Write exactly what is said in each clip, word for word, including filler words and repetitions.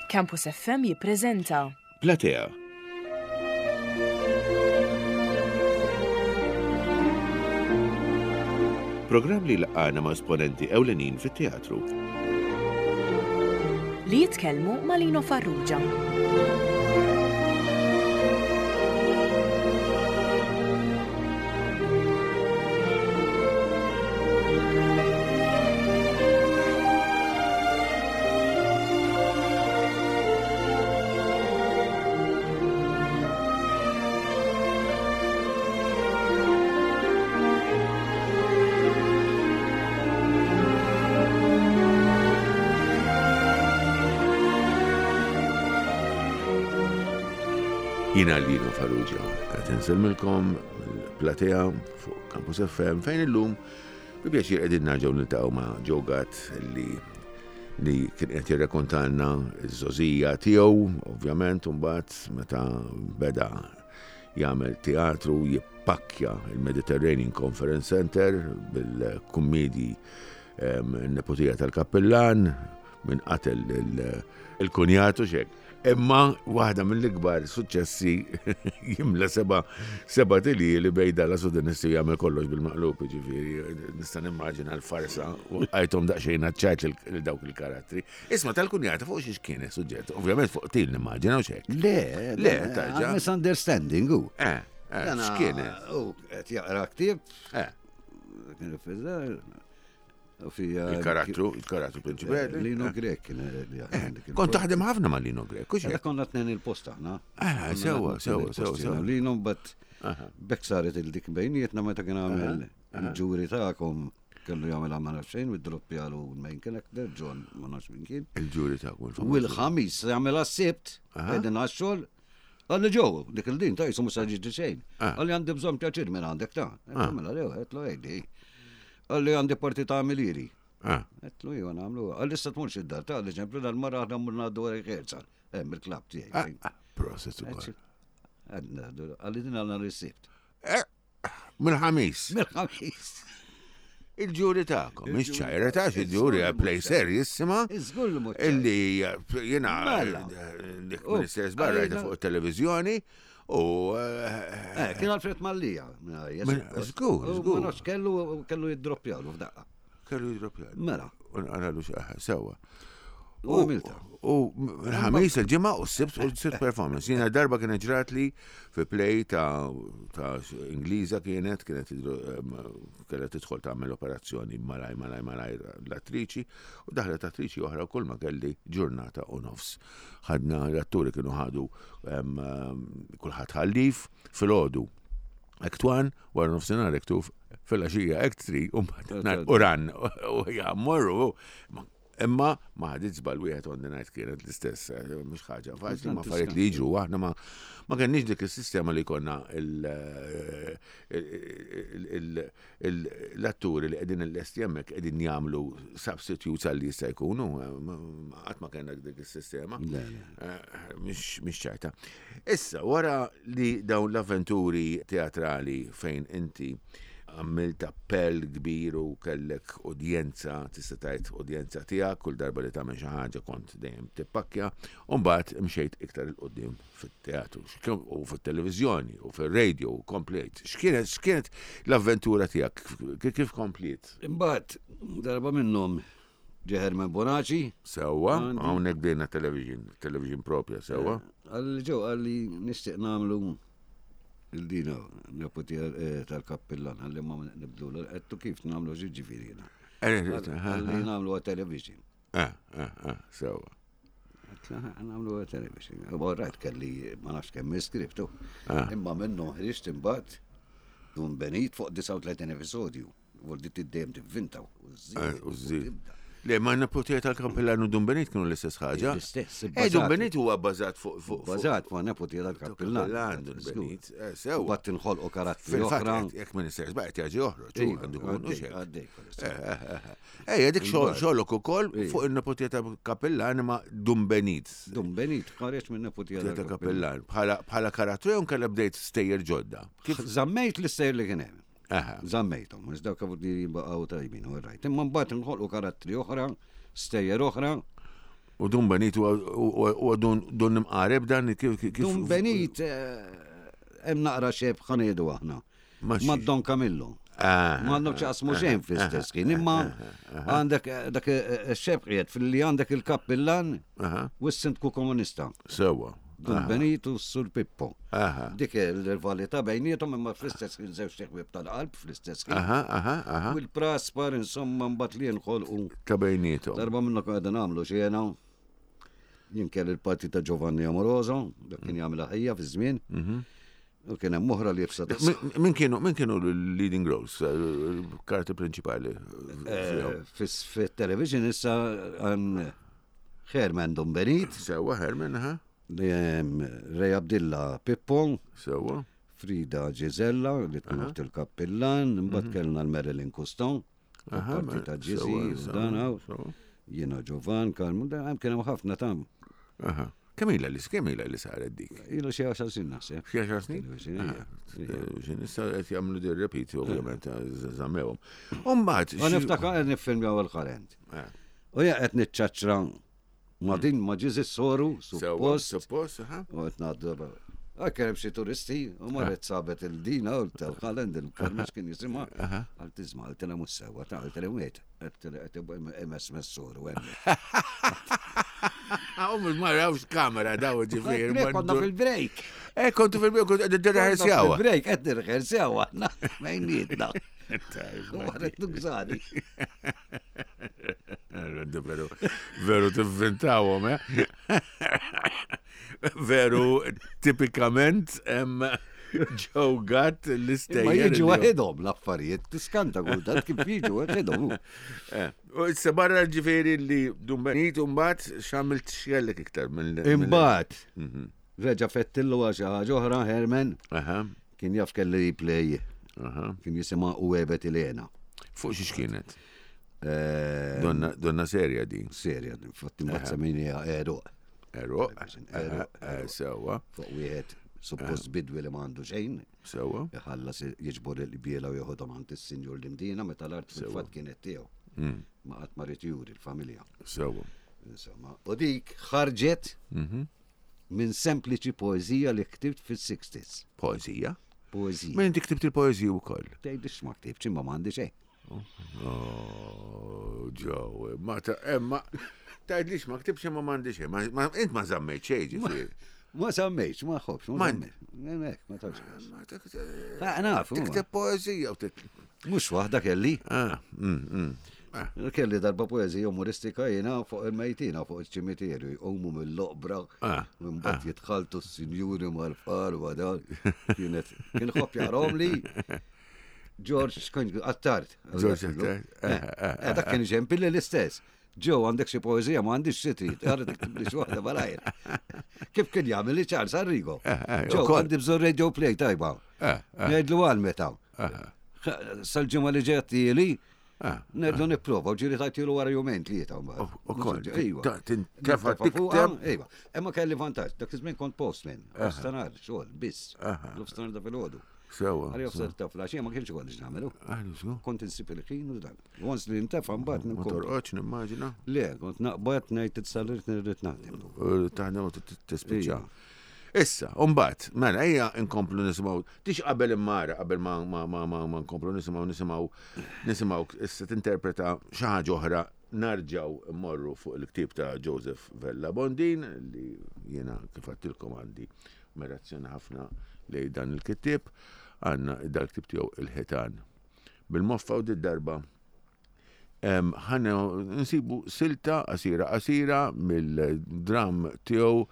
Campus F M jippreżenta Platea. Programm li laqana ma' esponenti ewlenin fit-teatru. Li jitkellmu ma' Lino Farrugia. Jiena Lino Farrugia, qed insellmilkom mill-Platea fuq Campus F M fejn illum bi pjaċir qegħdin nerġgħu niltaqgħu ma' Joe Gatt li li kien qed jirrekontalna ż-żgħożija tiegħu, ovvjament, u mbagħad meta beda jagħmel teatru jippakkja il-Mediterranean Conference Center bil-kummedji Neputija tal-Kappillan, Min Qatel il-Kunjatu xek. Imma waħda mill-ikbar suċċessi jimla seba seba tili li bejda la sudenisti jagħmel kollox bil-maqlub, ġifieri nista' nimmaġina l-farsa u għajthom daqsxejn ċajt lil dawk il-karattri. Isma', tal-kunjata fuq xiex kien suġġett? Ovvjament fuq til nimmaġina u xek. Le, Le, tarġa. Misunderstanding, u. Eh, eh, x'kien? U, qed jaqra ktieb. Eh. Kien fiż-żgħar, u fija. Il-karattru, il-karattru prinċipali. Lino Grek kien li jaħdem dik Kont taħdem ħafna ma' Lino Grek, u Għada konna tnejn il-post aħna. Ah, sewa, sewa, sewa, sewa. Lino, but bekk saret il-dik bejnietna meta kien għamel Il-Ġuri Tagħkom, kellu jagħmel ma nafx xejn u droppjalu l-main character, John, ma nafx min kien. Il-Ġuri Tagħkom. U il-Ħamis jagħmel għas-Sibt, qegħdin għax-xogħol. Qalli, "Ġew, dik il-din ta' jisu mhux ġiġi xejn." Ah. Qalli, "Għandi bżonn pjaċir minn għandek ta'." Għamela lew, għedtlu, "Ejdi." Qalli, "Għandi parti ta' Milieri." Ah, Għedtlu, "Iva, nagħmlu." Qalli, "Issa tmurx id-dar ta' li ċemplu dal-marra aħna mmur ngħaddu rehearsal. Hemm il-klabb tiegħi. Ah, proset ukoll. Qalli, "Din għandna l-Sibt." Eh, mill-Ħamis. Mill-Ħamis. Il-Ġuri Tagħkom, mhix ċajra ta' il-ġuri play serjissima. Iżgur li mhux Illi jena Mela. dik U, Minister Barra għalina- fuq il-televizjoni u eh, Eh, kien Alfred Mallia. Min- żgur, żgur. Ma nafx kellu kellu jiddroppjalu f'daqqa. Kellu jidropja. Mela. U nqaralu xi sewa. U għamilta. U l-Ħamis, il-Ġimgħa u s-Sibt u s-sitt performance. Jiena darba kienet ġrat li fi play ta' ta' Ingliża kienet, kienet kellha tidħol tagħmel operazzjoni malaj, malaj, malaj l-attriċi u daħlet attriċi oħra u kull ma kelli ġurnata u nofs. Ħadna l-atturi kienu ħadu em, em, kulħadd ħallif filgħodu. Act one, wara nofsinhar act two, fil-għaxija act three, u mbagħad u ran, u ja, morru. Imma ma ħadit żball wieħed on the night kienet l-istess, eh, mhux ħaġa faċli, ma affarijiet li jiġru, aħna ma ma kenniex dik is-sistema li konna il- il- il- il- l-atturi li qegħdin il-lesti hemmhekk qegħdin jagħmlu substitutes għal li jista' jkunu, eh, ma- ma- qatt ma kellna dik is-sistema. Le, le. Eh, Mhix mhix ċajta. Issa, wara li dawn l-avventuri teatrali fejn inti għamilt appell kbir u kellek udjenza, tista' tgħid udjenza tiegħek, kull darba li tagħmel xi ħaġa kont dejjem tippakkja, u mbagħad imxejt iktar 'il quddiem fit-teatru x'kien- u fit-televiżjoni u fir-radio u komplejt. X'kienet x'kienet l-avventura tiegħek? Kif kif kompliet? Imbagħad darba minnhom ġie Herman Bonaci. Sewwa, Għandi. hawnhekk bdejna television, television propja, sewwa. Qalli, "Ġew," qalli, "nixtieq nagħmlu il-dina Neputija eh, tal-Kappillan, qalli ma nibdlu. Għedtlu, "Kif nagħmlu ġifieri jiena?" Qalli, "Nagħmlu għat television." Eh, eh, eh, sewwa. Għedtlu, "Nagħmlu għat television." U rajt kelli ma nafx kemm skriptu. Ah. Imma minnu ħriġt imbagħad Dun Benit fuq disgħa u tletin episodju. Voldi tiddejjem tivvinta u Eh, żżid. U żżid. Le, ma Neputija tal-Kappillan u Dun Benit kienu l-istess ħaġa. L-istess, Eh, Dun ibbażati. Benit huwa bbażat fuq fuq fuq- Bażat fuq Neputija tal-Kappillan. Kappillan, Dun Benit. Eh, Sewwa. Bat inħolqu karattri Fil-fatt, oħra. jekk minister żbaqt jaġi joħroġ, u Iva, għandu jkun għaddej, xek. għaddej, Ejja, dik xogħol- Imbagħad. xogħolok ukoll Iva. fuq il-Neputija tal-Kappillan imma Dun Benit. Dun Benit ħareġ minn Neputija Neputija tal-Kappillan. Bħala bħala karattru jew nkella bdejt stejjer ġodda. Kif żammejt l-istejjer li kien hemm. Aha. Żammejthom, mhux dawk li baqgħu tajbin, u rajt. Imma mbagħad inħolqu karattri oħra, stejjer oħra. U Dun Benit u Dun Imqareb dan kif. Dun Benit hemm naqra xeb ħaniedu aħna. Ma' Don Camillo. Ma għandhom x'jaqsmu xejn fl-istess ħin, imma għandek dak ix-xeb qiegħed fil-li għandek il-kappillan u s-sindku komunista. Sewwa. Dun Benit u s-Sur Pippo. Dik il-rivalità bejniethom imma fl-istess ħin żewġ ħbieb tal-qalb fl-istess ħin. U l-praspar insomma mbagħad li nħolqu. Ta' bejniethom. Darba minnhom qegħdin nagħmlu xena. Jien kelli l-parti ta' Giovanni Amoroso, dak kien jagħmilha ħajja fiż-żmien. U kien hemm oħra li jibsa. Min kienu min kienu l-leading roles, karti prinċipali? Fit-television issa hemm Herman Dun Benit. Sewwa Herman, ha? Ray Abdilla Pippo. Sewwa. Frida Gisella li tkun uħt il-kappillan, imbagħad kellna l-Marilyn Custon, parti ta' Ġiżi u dan hawn. Jiena Giovan, Karmu, hemm kien hemm ħafna tam. Aha. Kemm ilha li kemm ilha li saret dik? Ilha xi għaxar snin naħseb. Xi għaxar snin? Xi issa qed jagħmlu dir repeat ovvjament żammewhom. U mbagħad. Ma niftakar qed niffilmjaw il-ħarent. U jien qed niċċaċċra ma' din ma' Ġiżi s-soru, suppost. Suppost, aha. U qed ngħaddu. Kien hemm xi turisti u marret sabet il-dina u tal-ħalend il-karmex kien jisimha. Għal tiżma, għaltilha mhux sewwa, ta' għaltilha wiet, qed M S soru hemm. U mhux ma rawx kamera daw ġifieri. Konna fil-break. Eh, kontu fil-break, kont qed nirrehersjaw. Fil-break qed nirrehersjaw aħna bejnietna. Marret nużani. Veru, veru tivvintawhom, eh? Veru, tipikament, Joe Gatt l-istejjer. Ma jiġu waħedhom l-affarijiet, tiskanta kultant kif jiġu waħedhom. U issa barra ġifieri li Dun Benit u mbagħad x'għamilt x'kellek iktar mill. Imbagħad reġa' fettillu għal xi ħaġa oħra Herman. Kien jaf kelli play. Kien jisimha U Ebet Ilena. Fuq xiex kienet? Donna, donna serja din. Serja, infatti mbagħad semmejniha Eruq. Eruq. Sewwa. Fuq wieħed suppost bidwi li m'għandu xejn. Sewwa. Iħallas jiġbor il-biela u joħodhom għand is-sinjur l-Imdina meta l-art fil-fatt kienet tiegħu. Ma qatt ma ried juri l-familja. Sewwa. Insomma, u dik ħarġet minn sempliċi poeżija li ktibt fis-sixties. Poeżija? Poeżija. Minn inti ktibt il-poeżija wkoll? Tgħidix ma ktibtx imma m'għandi xejn. Oh, Joe, ma ta' ma tgħidlix ma ktibx imma m'għandi xejn. Int ma żammejt xejn ġifieri. Ma żammejtx, ma ħobx, ma żammejtx. Ma tafx. Naf. Tikteb poeżija u tit. Mhux waħda kelli. Ah, mm, Kelli darba poeżija umoristika jiena fuq il-mejtina, fuq il-ċimiterju, jqumu mill-oqbra, u mbagħad jitħaltu s-sinjuri mal-far u dan. Kienet kien ħobb jarahom li George Attard. George Attard. Dak kien ġempilli l-istess. Ġew għandek xi poeżija ma għandix xi trid, għarra tiktib li xi waħda malajr. Kif kien jagħmel li Charles Arrigo? Ġew għandi bżonn radio play tajba. Ngħidlu għal meta. Sal-ġimgħa li ġejja tieli, ngħidlu nipprova u ġieli tajtilu wara jumejn tlieta mbagħad. Ukoll. Tintefa' tikteb. Iva. Imma kelli vantaġġ, dak iż-żmien kont postman, nofstanhar xogħol biss. Nofstanhar da filgħodu. Sewwa. Għalli offset ta' flaxija ma kienx ikolli x'nagħmelu. Kont insib il-ħin u dan. Once li ntefa' mbagħad Ma torqodx nimmaġina. Le, kont naqbad ngħid titsallirt nirrid naħdem. Taħdem u tispiċċa. Issa, mbagħad, mela ejja nkomplu nisimgħu, tix qabel immara, qabel ma ma ma ma ma nkomplu nisimgħu nisimgħu nisimgħu issa tinterpreta xi ħaġa oħra narġaw mmorru fuq il-ktieb ta' Joseph Vella Bondin li jiena kif għedtilkom għandi ammirazzjoni ħafna lejn dan il-kittieb, għandna dal-ktieb tiegħu Il-Ħitan. Bil-moffa u darba ħana nsibu silta qasira qasira mill-dram tiegħu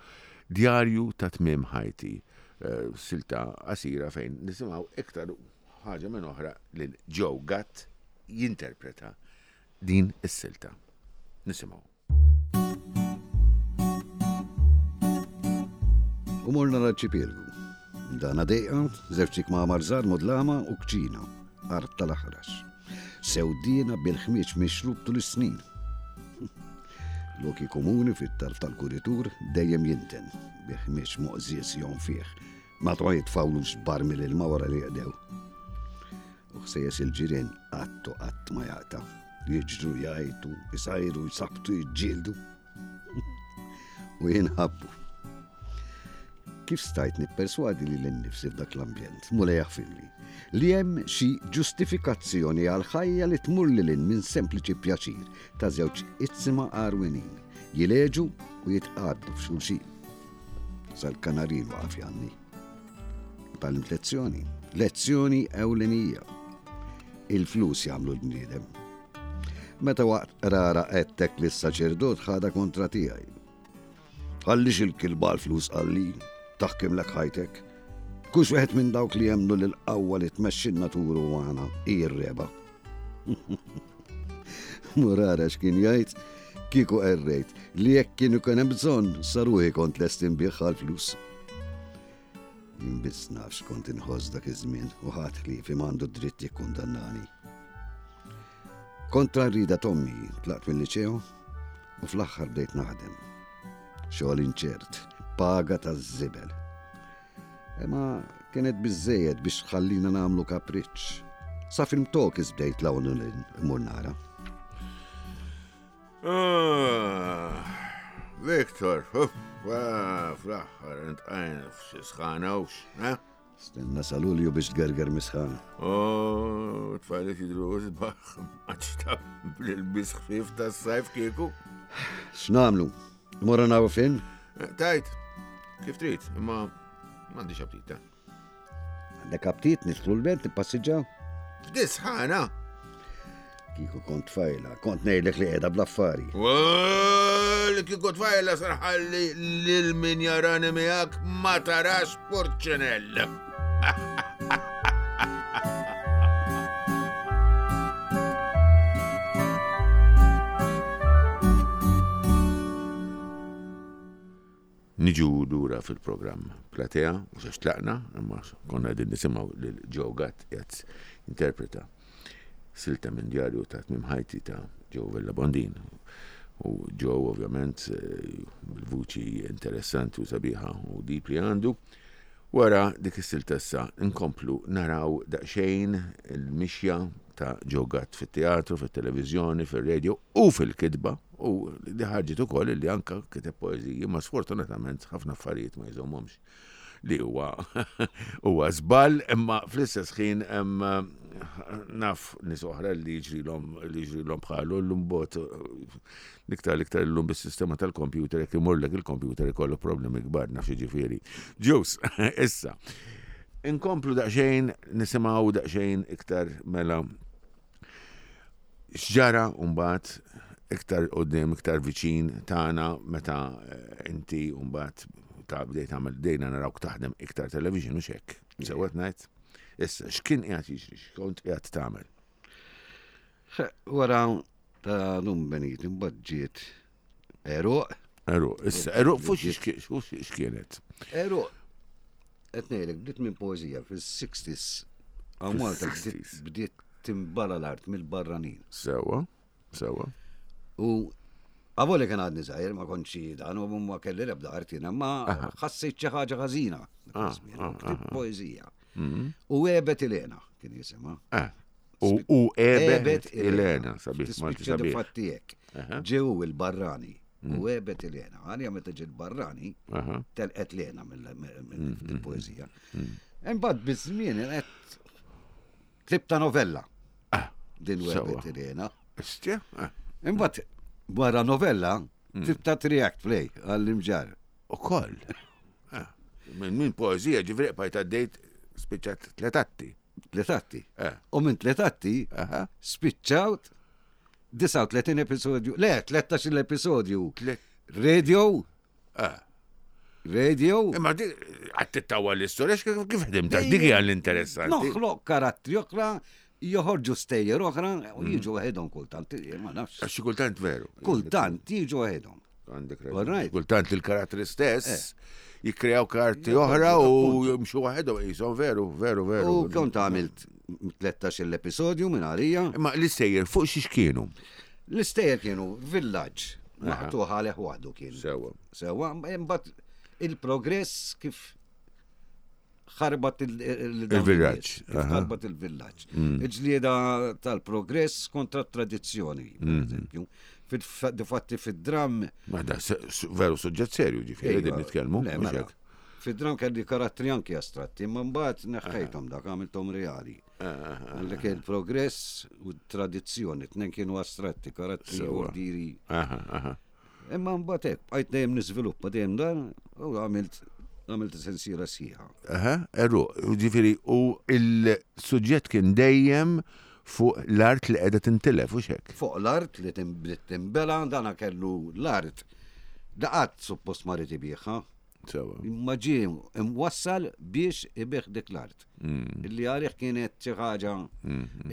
Djarju ta' Tmiem Ħajti. Silta qasira fejn nisimgħu iktar ħaġa minn oħra lil Joe Gatt jinterpreta din is-silta. Nisimgħu. U morna l-arċipelgu. Dana dejqa, żewġ kmamar żgħar mudlama u kċina, art tal-aħrax. Sewdina bil-ħmieġ mixrub tul is-snin. Loki komuni fit-tarf tal-kuritur dejjem jinten, bi ħmieġ moqżież jonfih. Ma twa jitfawlux barmil ilma wara li jqdew. U ħsejjes il-ġirien qatt u qatt ma jaqta'. Jiġru jgħajtu, isajru, jsabtu, jiġġieldu. U jinħabbu. Kif stajt nipperswadi li l-nifsi f'dak l-ambjent, Mulej jaħfirli, li hemm xi ġustifikazzjoni għal ħajja li tmur lil hinn minn sempliċi pjaċir ta' żewġ itzima għarwinin, jileġu u jitqaddu f'xulxin. Sal-kanarin waqaf janni. Tgħallimt lezzjoni, lezzjoni ewlenija. Il-flus jagħmlu l-bniedem. Meta waqt rara għedtek li s-saċerdot ħada kontra tiegħi. Ħallix il-kilba l-flus qalli, taħkimlek ħajtek. Kux wieħed minn dawk li jemnu li l-qawwa li tmexxi n-natura umana hi r-reba. Murara x'kien jgħid, kieku errejt li jekk kienu kien hemm bżonn saruħi kont lest inbigħ għall-flus. Jien biss naf x'kont inħoss dak iż-żmien u ħadd ħliefi m'għandu dritt jikkundannani. Kontra r-rida t'ommi tlaqt mill-liċeo u fl-aħħar bdejt naħdem. Xogħol inċert, paga taż-żibel. Imma kienet biżżejjed biex tħallina nagħmlu kapriċċ. Sa film talkies bdejt l-hawn u immur nara. Ah, Viktor, uff, ah, fl-aħħar intqajna f'xi sħana ux, eh? Stenna sa Lulju biex tgerger misħana. Oh, tfajliet jidru sbaħ, maċta bl-ilbis ħfif tas-sajf kieku. X'nagħmlu? Morru naraw film? Eh, Tajt, kif trid, imma m'għandix aptit ta. Għandek aptit nidħlu l-belt nippassiġġaw? F'dis-sħana. Kieku kont tfajla, kont ngħidlek li qiegħda bl-affari. Li kieku tfajla sarħalli lil min jarani miegħek ma tarax purċinell. Niġu lura fil-programm Platea, mhux għax tlaqna, imma konna qegħdin nisimgħu lil Joe Gatt qed interpreta silta minn djarju ta' tmiem ħajti ta' Joe Vella Bondin. U Joe ovvjament bil-vuċi interessanti u sabiħa u deep li għandu. Wara dik is-silta issa nkomplu naraw daqsxejn il-mixja ta' Joe Gatt fit-teatru, fit-televiżjoni, fir-radio u fil-kitba. U li ħarġet ukoll li anka kiteb poeżiji, ma sfortunatament ħafna affarijiet ma jżommhomx li huwa huwa żball, imma fl-istess ħin hemm naf nies oħra li jiġrilhom li jiġrilhom bħalu llum bot l-iktar l-iktar illum bis-sistema tal-computer jekk imurlek il-computer ikollok problemi kbar naf jiġifieri. Ġus, issa. Inkomplu daqsxejn nisimgħu daqsxejn iktar mela x'ġara mbagħad iktar qudiem, iktar viċin tagħna meta inti mbagħad ta' bdejt tagħmel dejna narawk taħdem iktar television u xek. Sewwa ngħid. Issa x'kien qiegħed jiġri, x'kont qiegħed tagħmel? Wara ta' Dun Benit imbagħad ġiet Eruq. Eruq, issa Eruq fuq x'kienet? Eruq. Qed ngħidlek bdiet minn poeżija fis-sixties. Hawn Malta bdiet timbala l-art mill-barranin. Sewwa, sewwa. U għavoli kien għadni żgħir, ma kontx dan u ma kelli l-ebda art jiena, ma ħassejt xi ħaġa ħażina. Ktibt poeżija. U Ebet Ilena kien jisimha. U Ebet Ilena, sabiħ, Malti sabiħ. Fattijek. Ġew il-barrani. U Ebet Ilena. Għalija meta ġiet barrani, telqet Lena mill-poeżija. Imbagħad biż-żmien qed ktibta novella. Din Ebet Ilena. Istja? Imbagħad wara novella, tibta triact play għall-imġar. U koll. Minn min poezija ġifri bajt għaddejt spiċċat tliet atti. Tliet atti. U minn tliet atti spiċċawt disgħa u tletin episodju. Le, tlettax-il episodju. Radio. Radio. Imma għad tittawa l-istorja, kif ħdimta? Dik hija l-interessanti. Noħloq karattri oħra, joħorġu stejjer oħra u jiġu waħedhom kultant, ma nafx. Għax xi kultant veru. Kultant jiġu waħedhom. Għandek raġun. Kultant il-karattri stess jikkreaw karti oħra u jimxu waħedhom qishom veru, veru, veru. U kont għamilt tlettax-il episodju minn għalija. Imma l-istejjer fuq xiex kienu? L-istejjer kienu villaġġ maqtuħ għalih waħdu kien. Sewwa. Sewwa, imbagħad il-progress kif ħarbat il-villaġġ. Ħarbat il-villaġġ. Il-ġlieda tal-progress kontra t-tradizzjoni, per eżempju. Difatti fid-dram. Ma da veru suġġett serju ġifieri din nitkellmu. Mela. Fid-dram kelli karattri anki astratti, imma mbagħad neħħejthom dak, għamilthom reali. Għallek il-progress u tradizzjoni, tnejn kienu astratti, karattri ordiri. Imma mbagħad hekk, bqajt dejjem niżviluppa dejjem dan u għamilt għamilt sensiela sħiħa. Aha, erru, ġifieri u il-suġġett kien dejjem fuq l-art li qiegħda tintilef u xek. Fuq l-art li tinbela, dana kellu l-art. Da qatt suppost ma rid ibigħha. Sewa. Imma ġie imwassal biex ibigħ dik l-art. Illi għalih kienet xi ħaġa.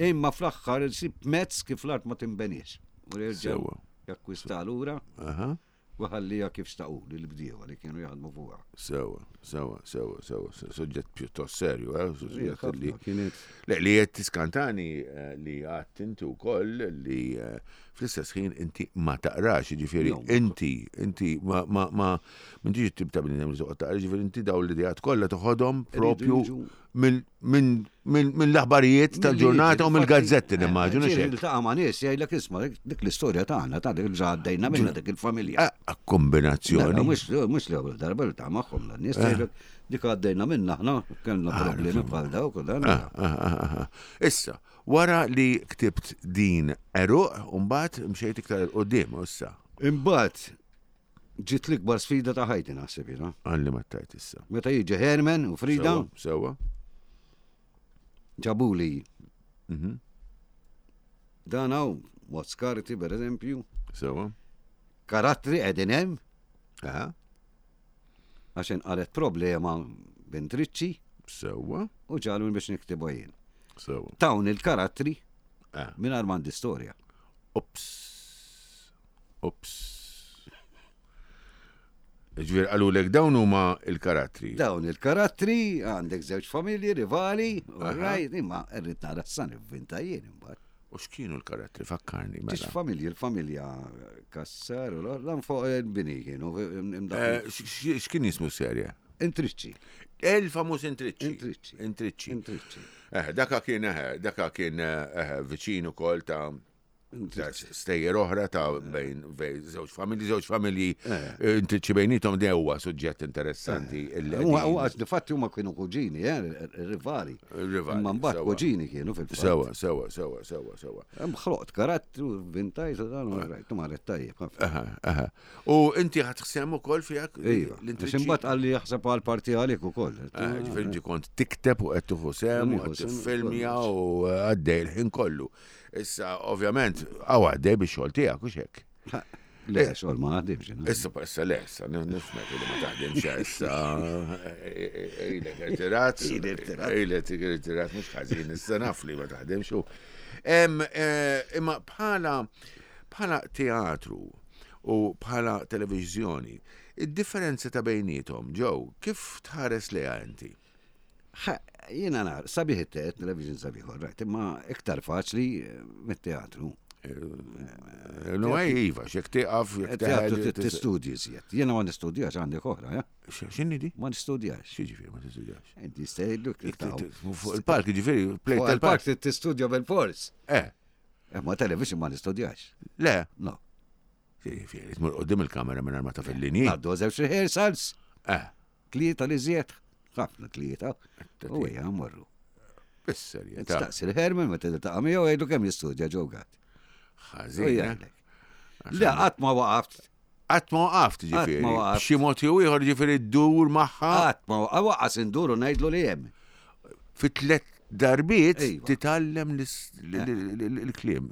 Imma fl-aħħar isib mezz kif l-art ma tinbeniex. U jerġa' Sewa. jakkwista lura Aha. u ħallija kif xtaqu lill-bdiewa li kienu jaħdmu fuqha. Sewa, sewa, sewa, sewa, suġġett pjuttost serju, eh? Suġġett li Kienet Le, li qed tiskantani eh, li għadt inti wkoll li eh, fl-istess ħin inti ma taqrax, jiġifieri No. inti, inti ma ma ma m'intix it-tip ta' bniedem li toqgħod taqra, jiġifieri inti dawn l-ideat kollha toħodhom propju jiġu- minn minn minn minn l-aħbarijiet tal-ġurnata u mill-gazzetti nimmaġinu xek. Iltaqa' ma' nies jgħidlek isma' dik l-istorja tagħna ta' dik li għaddejna minna dik il-familja. Ah, Kombinazzjoni. Mhux mhux l-ewwel darba li ta' magħhom dan-nies jgħidlek dik għaddejna minna aħna kellna problemi bħal dawk u dan. Ah, ah, ah, ah. Issa, wara li ktibt din Eruq, mbagħad mxejt iktar 'il quddiem issa. Imbagħad ġiet l-ikbar sfida ta' ħajti naħseb jiena. Għalli ma tajt issa. Meta jiġi Herman u Frida Sewa, sewa. ġabuli Mhm. dan hawn Moscarti per eżempju, Sewa. karattri qegħdin hemm Aha. għax inqalet problema b'intriċċi Sewa. u ġaluni biex niktibu jien. Sewa. Tawn il-karattri Ah. mingħajr m'għandi storja. Ups. Ups. Ġifieri qalulek dawn huma il-karattri. Dawn il-karattri għandek żewġ familji rivali, u right, imma rrid nara s-san ivvinta jien imbagħad. U x'kienu l-karattri? Fakkarni Ġiex mela. familji, il-familja Kassar u l fuq il-bini kienu Eh, x- x- X'kien jismu serje? Intriċċi. Il-famuż Intriċċi. Intriċċi. Intriċċi. Intriċċi. Eh, daka kien eh, daka kien eh, viċin ukoll ta' ta' stejjer oħra ta' bejn bejn żewġ familji, żewġ familji eh, intriċċi bejnietom de huwa suġġett interessanti. illi Huwa qegħdin- huwa għax difatti huma kienu kuġini, eh, rivali. Rivali, Imma mbagħad sewa. kuġini kienu fil-fatt. Sewa, sewa, sewa, sewa, sewa. Hemm ħloqt karattru, vintajt u dan u rajt, marret tajjeb ħafna. Aha, aha. U inti ħat ukoll fijak? Iva, għax imbagħad qalli jaħseb għal parti għalik ukoll. Ġifieri inti kont tikteb u qed tieħu sehem u Nieħu qed sehem, tiffilmja u għaddej il-ħin kollu. Issa, ovvjament, għaw għaddej bix-xogħol tiegħek u xek. Le, xogħol ma naħdimx. jiena. Issa, issa le, issa, nifmek li ma taħdimx issa. Ilek irtirat. Ilek irtirat. Ilek irtirat, mhux ħażin, issa naf li ma taħdimx u. Em, eh, Imma bħala bħala teatru u bħala televiżjoni, id-differenza ta' bejnietom, Joe, kif tħares leha inti? Ħa, Jiena nar, sabiħ it television sabiħ, right, imma iktar faċli eh, mit-teatru. Eh, No, ej, iva, xek tiqaf, jek Teatru teħel. tistudji iżjed. Jiena ma nistudjax għandek oħra, ja? X'inhi di? Ma nistudjax. X'jiġifieri ma tistudjax? Inti jistgħidluk Fuq il-park, jiġifieri, plejt Fuq tal-park. il-park tistudja bil-fors. Eh, Ma television ma nistudjax. le, No. Jiġifieri, tmur qudiem il-kamera minn ma taf il-linji. Għaddu żewġ rehearsals, Eh, tlieta li żjed, ħafna tlieta. U hija morru. bis-serjetà. Staqsi l-Herman meta tiltaqa' miegħu jgħidu kemm jistudja Joe Gatt. U Ħażin. eh? jgħidlek. Le qatt ma waqaft, Qatt ma waqaft ġifieri. ma waqaft. B'xi mod jew ieħor ġifieri ddur magħha qatt ma waqaft, waqqas induru ngħidlu li hemm. fi tliet darbiet Iva. titgħallem l-is- l- l- l- l-kliem.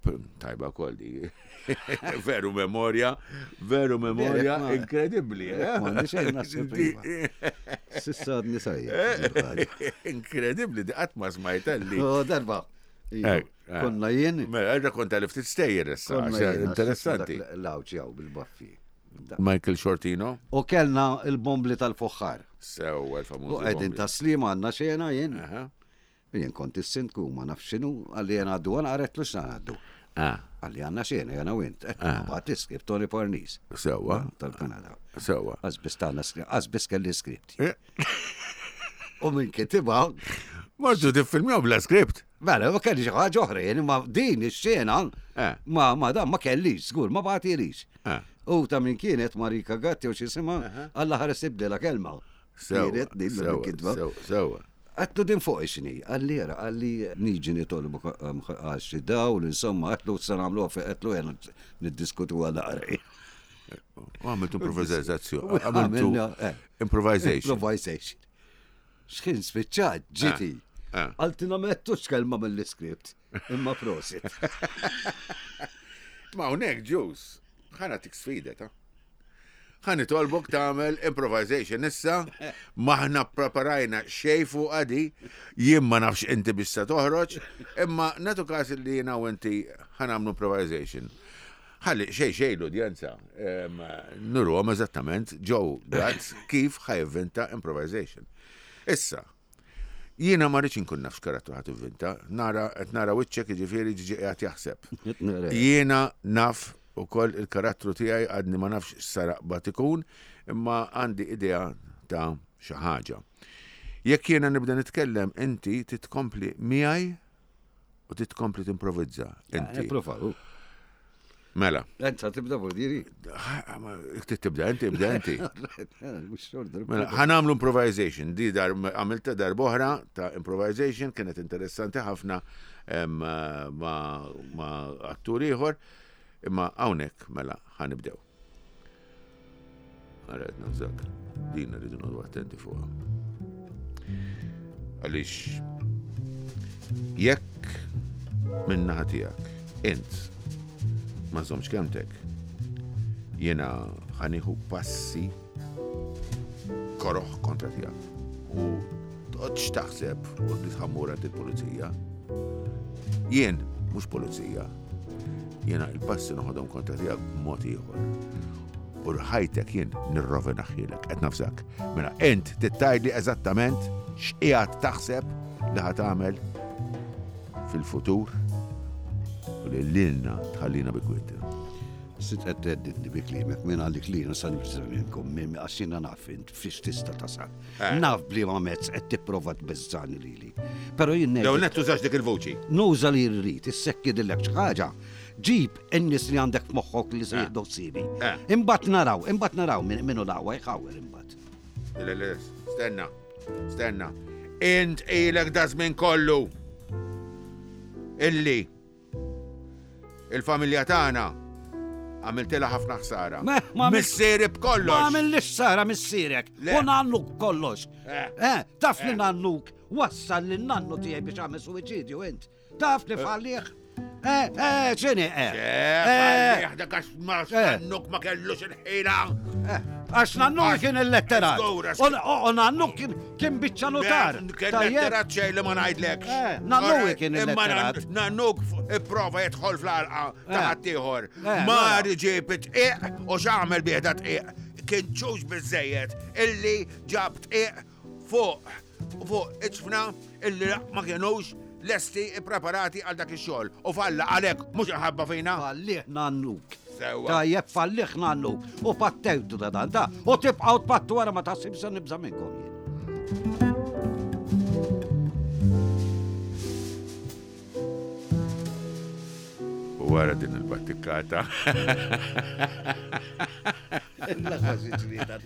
P- Tajba kol di. Veru memorja, veru memorja ma- inkredibbli. eh? Ma għandi xejn naħseb Di- iva. Sissa għadni sajja. Inkredibbli, di qatt ma smajta li. Oh, darba. Iva. Eh, eh. Konna jien. Mela, rrakkonta li ftit stejjer issa, Konna għax jien, interessanti. dak L-awċ jaw bil-baffi. Michael Shortino, U kellna il-bombli tal-foħħar. sew il-famuż. U qegħdin taslima għandna xena jien. Aha. Jien kont is-sindku ma nafx x'inhu, għalli jien għaddu għana qaretlu x'na għaddu. Ah, Għalli għandna xena jena u int. Bat iskript Tony Parnis sewa, tal-Kanada. sewa. Għazbis tagħna skri- għazbis kelli skript. Eh. U minn kitibha Mortu tiffilmjaw bla skript. Mela, ma kelli xi ħaġa oħra, jien imma din ix-xena Eh. ma ma dan ma kellix, żgur, ma bagħtilix. Eh. U ta' min kienet Marika Gatti u x'isimha, Alla ħares ibdela kelma. Sewa, Kienet din sewa, il-kitba. sewa, sewa. Għattu din fuq xini, għalli jara, għalli niġi nitolbu għax xi dawl, insomma, għatlu s nagħmluha fi għatlu jena niddiskutu għal naqra. U għamiltu improvizzazzjoni. Għamiltu Għamilna, eh. improvisation. Improvisation. Xħin spiċċat, ġiti. Eh. Għaltina mettux kelma mill-iskript, imma prosit. Ma hawnhekk ġus, ħana tik sfida ta' ħa nitolbok tagħmel improvisation issa, maħna preparajna xej fuq għadi, jien ma nafx inti biex se toħroġ, imma natu każ li jiena u inti ħa nagħmlu improvisation. Ħalli xej xej l-udjenza, em, nurhom eżattament Joe Gatt kif ħa jivvinta improvisation. Issa, jiena ma rridx inkun naf x'karattru ħa tivvinta, nara qed nara wiċċek jiġifieri ġiġi qiegħed jaħseb. Jiena naf ukoll il-karattru tiegħi għadni ma nafx x'saraqba ikun, imma għandi idea ta' xi ħaġa. Jekk jiena nibda nitkellem, inti titkompli miegħi u titkompli timprovizza. Inti. Prova, Mela, Enza tibda bordiri. jekk trid tibda inti, ibda inti. Mux xorta. Mela, ħa nagħmlu improvisation. Di dar għamilta darb'oħra ta' improvisation kienet interessanti ħafna em, ma, ma attur ieħor, imma hawnhekk mela ħa nibdew. Ara qed nafżak, din rridu noqogħdu attenti fuqha. Għaliex jekk min-naħa tiegħek int ma żommx kelmtek, jiena ħa nieħu passi koroħ kontra tiegħek. U toqgħodx taħseb u li ħa mmur għand il-pulizija. Jien mhux pulizija. Jiena il-passi noħodhom kontra tiegħek b'mod ieħor. U ħajtek jien nirrovinahielek, qed nafżak. Mela int tgħidli eżattament x'qiegħed taħseb li ħa tagħmel fil-futur u li lilna tħallina bi kwiet. Sitt qed theddidni bi kliemek, minn għalik li jiena sa nibża' minnkom, minn għax jiena naf int fiex tista' tasal. Naf bliema mezz qed tipprova tbeżżani lili. Però jien Lew ngħidlek, net tużax dik il-vuċi. nuża li rrid, issekki dillek xi ħaġa. Ġib in-nies li għandek f'moħħok li se jieħdu ħsiebi. Eh. Imbagħad naraw, imbagħad naraw min minnu l-aqwa jħawwer imbagħad. Le, le, stenna, stenna. Int ilek da żmien kollu illi il-familja tagħna għamiltilha ħafna ħsara. Ma- ma għamilt- Missieri Ma b'kollox. għamillix sara missierek, Le. u nannuk kollox. Eh. Eh, taf li nannuk, wassal li nannu tiegħi biex għamel suwiċidju int. Taf li fallih. Eh, eh, x'inhi, eh. Eh, Eh, dak għax ma Eh. nannuk ma kellux il-ħila. eh, Għax nannu kien il-letterat. Żgur, għax- U u nannu kien kien biċċa notar. Kien Tajjeb? letterat xejn li ma ngħidlekx. Eh, nannu Alright, kien Imma il-letterat. nan- nannuk ipprova jidħol fl-għalqa ta' Eh. ħaddieħor. Eh, Mar mela. ġib tqiq u x'għamel bih da tqiq. Kien ċux biżejjed illi ġab tqiq fuq fuq iċfna illi ma kienux lesti ippreparati għal dak ix-xogħol. U falla għalhekk mhux inħabba fina. Fallih nannuk. Sewwa. Tajjeb fallih nannuk. U pattewdu da dan da. U tibqgħu tpattu wara ma taħsib se nibża' minnkom jien. U wara din il-battikata.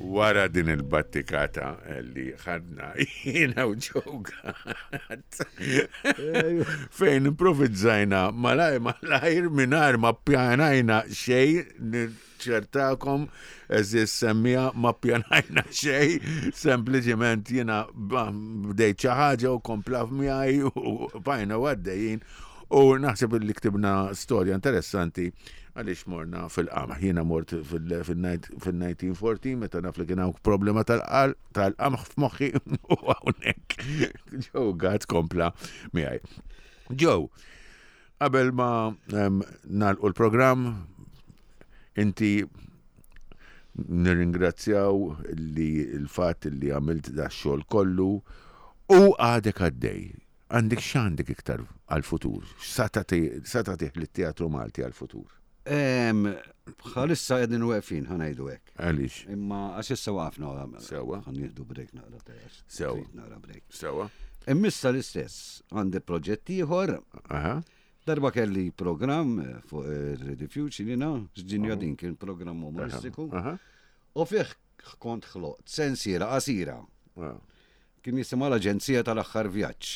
Wara din il-battikata li ħadna jiena u Joe Gatt fejn improvizzajna malaj malajr mingħajr ma ppjanajna xejn ċertakom eżis semmija ma ppjanajna xejn sempliċement jiena bdejt xi ħaġa u kompla miegħi u bajna għaddejjin u naħseb li ktibna storja interessanti għaliex morna fil-qamħ. Jiena mort fil-elf disa' mija u erbatax meta naf li kien hawn problema tal-qamħ f'moħħi u hawnhekk Joe Gatt kompla miegħi. Joe, qabel ma nagħlqu l-programm, inti nirringrazzjaw li l-fatt li għamilt da xogħol kollu u għadek għaddej. Għandek x'għandek iktar għal-futur? Sa tagħtih lit-teatru Malti għal-futur? Bħalissa qegħdin weqfin, ħa ngħidu hekk. Għaliex? Imma għax issa waqfna. Sewwa. Ħa nieħdu break naqra ta' Sewwa. Naqra break. Sewwa. Immissa l-istess, għandi proġett ieħor. Darba kelli programm fuq Rediffusion jiena, x'ġinja din kien programm umoristiku. U fih kont ħloqt sensiela qasira. Kien jisimha l-Aġenzija tal-Aħħar Vjaġġ.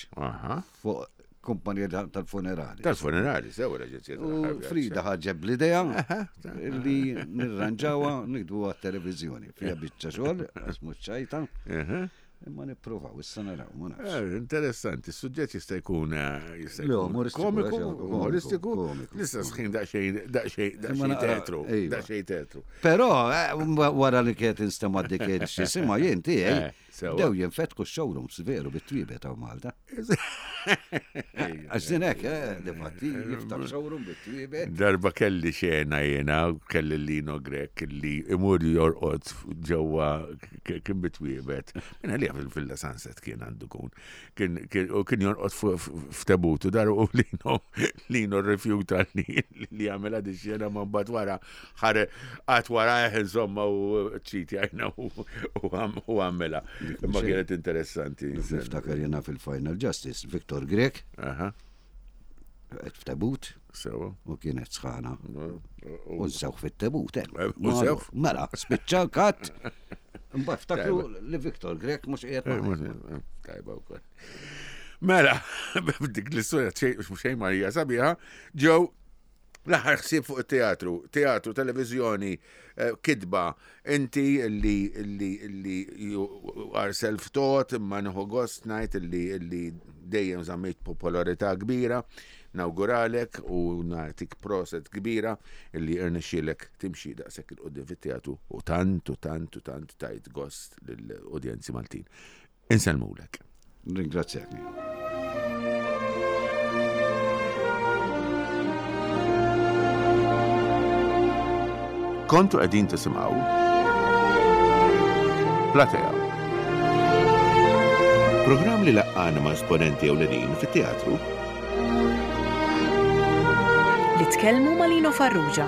Fuq kumpanija tal-funerali. Tal-funerali, sew l-Aġenzija tal-Aħħar Vjaġġ. Frida ħaġeb l-idea li nirranġawha nikdbu għat-televiżjoni. Fiha biċċa xogħol, għax mhux ċajta. Imma nippruvaw, issa naraw, ma nafx. Interessanti, is-suġġett jista' jkun jista' jkun komiku, umoristiku, l-istess ħin daqsxejn daqsxejn daqsxejn teatru, daqsxejn teatru. Però wara li kienet instema' dik x'isimha jien tiegħi, bdew jinfetku x-showrooms veru bit-twiebet hawn Malta. Għax din hekk, difatti jiftaħ showroom bit-twiebet. Darba kelli xena jiena, kelli Lino Grech li imur jorqod ġewwa kien bit-twiebet. Minn għalija fil-Villa Sunset kien għandu kun. U kien jorqod f'tebutu dar u Lino Lino rrifjuta li jagħmilha di xena ma mbagħad wara ħare qatt wara insomma u ċiti għajna u għamela. Imma kienet interessanti. Niftakar jiena fil-Final Justice, Victor Grech. Qed f'tebut. Sewa. U kienet sħana. U nsewħ fit-tebut. U nsewħ? Mela, spiċċa l-katt. Mbagħad ftakru li Victor Grech mhux qiegħed. Tajba wkoll. Mela, dik l-istorja xejn Marija sabiħa, ġew l-aħħar ħsieb fuq it-teatru, teatru, televiżjoni, kitba, inti li li li you are self-taught, imma nieħu gost ngħid li li dejjem żammejt popolarità kbira, nawguralek u nagħtik proset kbira illi irnexxielek timxi daqshekk il quddiem fit-teatru u tant u tant u tant tajt gost lill-udjenzi Maltin. Insellmulek. Ringrazzjak. Kontu qegħdin tisimgħu Platea. Programm li laqqana ma' esponenti ewlenin fit-teatru li tkellmu ma' Lino Farrugia.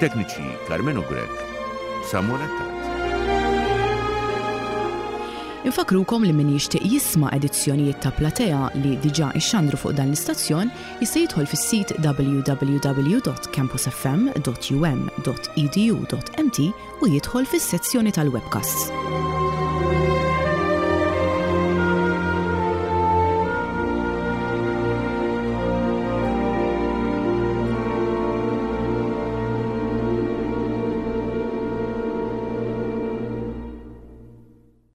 Tekniċi Carmenu Grech, Samuel Attard. Infakrukom li min jixtieq jisma' edizzjonijiet ta' Platea li diġà ixxandru fuq dan l-istazzjon jista' jidħol fis-sit w w w dot campus f m dot u m dot e d u dot m t u jidħol fis-sezzjoni tal-webcasts.